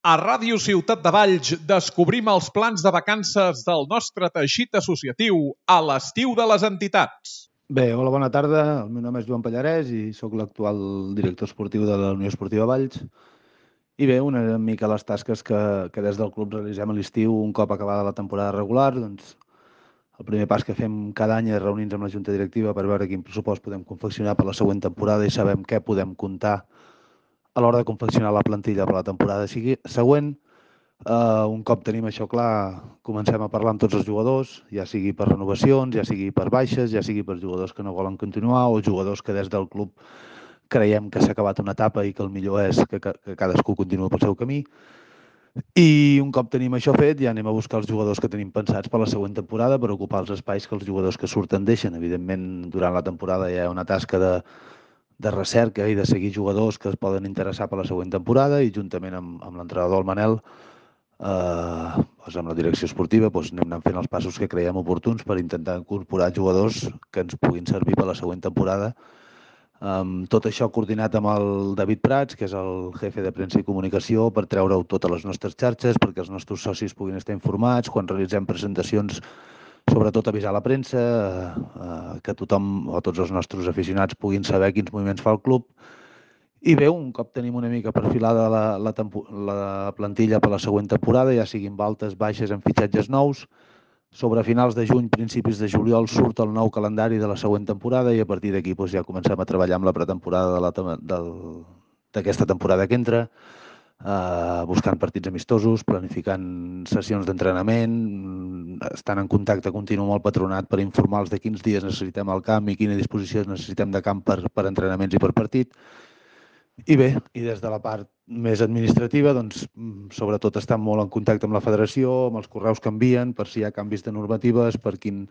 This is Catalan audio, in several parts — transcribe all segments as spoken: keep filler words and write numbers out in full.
A Ràdio Ciutat de Valls descobrim els plans de vacances del nostre teixit associatiu a l'estiu de les entitats. Bé, hola, bona tarda. El meu nom és Joan Pallarès i sóc l'actual director esportiu de la Unió Esportiva Valls. I bé, una mica les tasques que, que des del club realitzem a l'estiu un cop acabada la temporada regular. Doncs el primer pas que fem cada any és reunir-nos amb la Junta Directiva per veure quin pressupost podem confeccionar per la següent temporada i sabem què podem comptar a l'hora de confeccionar la plantilla per la temporada següent. Uh, un cop tenim això clar, comencem a parlar amb tots els jugadors, ja sigui per renovacions, ja sigui per baixes, ja sigui per jugadors que no volen continuar o jugadors que des del club creiem que s'ha acabat una etapa i que el millor és que, que, que cadascú continuï pel seu camí. I un cop tenim això fet, ja anem a buscar els jugadors que tenim pensats per la següent temporada per ocupar els espais que els jugadors que surten deixen. Evidentment, durant la temporada hi ha una tasca de, de recerca i de seguir jugadors que es poden interessar per la següent temporada i juntament amb, amb l'entrenador, el Manel, eh, doncs amb la direcció esportiva doncs anem anant fent els passos que creiem oportuns per intentar incorporar jugadors que ens puguin servir per la següent temporada. Um, tot això coordinat amb el David Prats, que és el jefe de premsa i comunicació, per treure-ho totes les nostres xarxes, perquè els nostres socis puguin estar informats, quan realitzem presentacions, sobretot avisar la premsa, eh, que tothom o tots els nostres aficionats puguin saber quins moviments fa el club. I bé, un cop tenim una mica perfilada la, la, la plantilla per la següent temporada, ja siguin altes, baixes, amb fitxatges nous, sobre finals de juny, principis de juliol, surt el nou calendari de la següent temporada i a partir d'aquí doncs, ja comencem a treballar amb la pretemporada d'aquesta temporada que entra, eh, buscant partits amistosos, planificant sessions d'entrenament, estant en contacte continu amb el patronat per informar-los de quins dies necessitem al camp i quina disposició necessitem de camp per, per entrenaments i per partit. I bé, i des de la part més administrativa, doncs, sobretot estan molt en contacte amb la federació, amb els correus que envien, per si hi ha canvis de normatives, per, quin,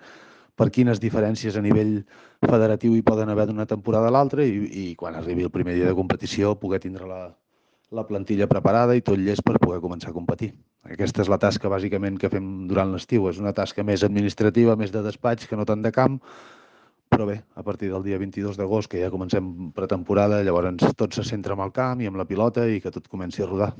per quines diferències a nivell federatiu hi poden haver d'una temporada a l'altra i, i quan arribi el primer dia de competició poder tindre la, la plantilla preparada i tot llest per poder començar a competir. Aquesta és la tasca bàsicament que fem durant l'estiu. És una tasca més administrativa, més de despatx que no tant de camp, però bé, a partir del dia vint-i-dos d'agost, que ja comencem pretemporada, llavors tot se centra en el camp i amb la pilota i que tot comenci a rodar.